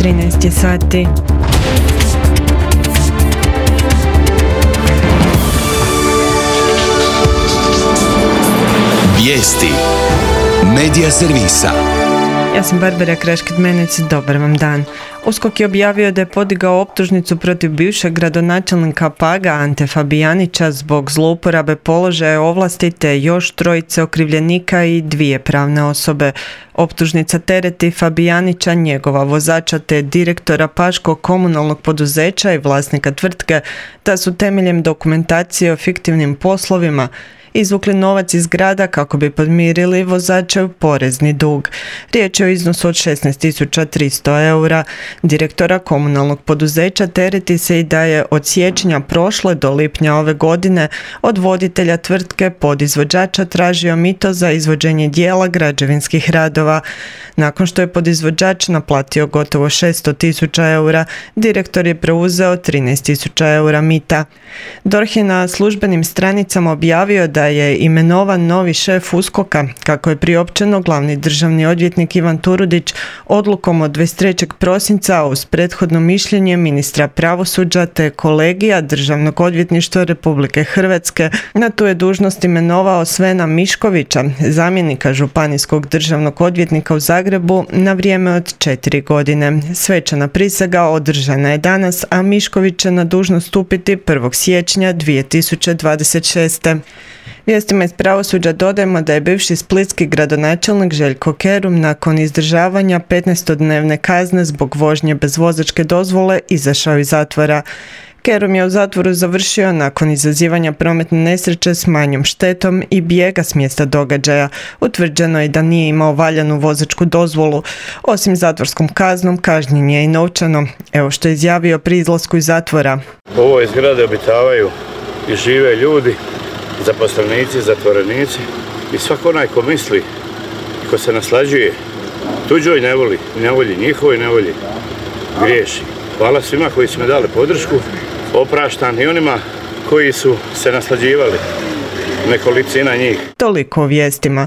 13 je sati. Vijesti Medija servisa. Ja sam Barbara Kraškit-Menec, dobar vam dan. USKOK je objavio da je podigao optužnicu protiv bivšeg gradonačelnika Paga Ante Fabijanića zbog zlouporabe položaja ovlasti te još trojice okrivljenika i 2 pravne osobe. Optužnica tereti Fabijanića, njegova vozača te direktora Paškog komunalnog poduzeća i vlasnika tvrtke da su temeljem dokumentacije o fiktivnim poslovima izvukli novac iz grada kako bi podmirili vozačev porezni dug. Riječ je o iznosu od 16.300 eura. Direktora komunalnog poduzeća tereti se i da je od siječnja prošle do lipnja ove godine od voditelja tvrtke podizvođača tražio mito za izvođenje dijela građevinskih radova. Nakon što je podizvođač naplatio gotovo 600.000 eura, direktor je preuzeo 13.000 eura mita. DORH je na službenim stranicama objavio da je imenovan novi šef USKOK-a, kako je priopćeno glavni državni odvjetnik Ivan Turudić odlukom od 23. prosinca uz prethodno mišljenje ministra pravosuđa te kolegija Državnog odvjetništva Republike Hrvatske. Na tu je dužnost imenovao Svena Miškovića, zamjenika županijskog državnog odvjetnika u Zagrebu na vrijeme od 4 godine. Svečana prisega održana je danas, a Mišković će na dužnost stupiti 1. siječnja 2026. Vijestima iz pravosuđa dodajemo da je bivši splitski gradonačelnik Željko Kerum nakon izdržavanja 15-dnevne kazne zbog vožnje bez vozačke dozvole izašao iz zatvora. Kerum je u zatvoru završio nakon izazivanja prometne nesreće s manjom štetom i bijega s mjesta događaja. Utvrđeno je da nije imao valjanu vozačku dozvolu. Osim zatvorskom kaznom, kažnjen je i novčano. Evo što je izjavio pri izlasku iz zatvora. U ovoj zgradi obitavaju i žive ljudi, zaposlenici, zatvorenici i svako onaj ko misli i ko se naslađuje tuđoj nevolji, njihovoj nevolji, griješi. Hvala svima koji su me dali podršku, opraštam i onima koji su se naslađivali, nekolicina njih. Toliko o vijestima.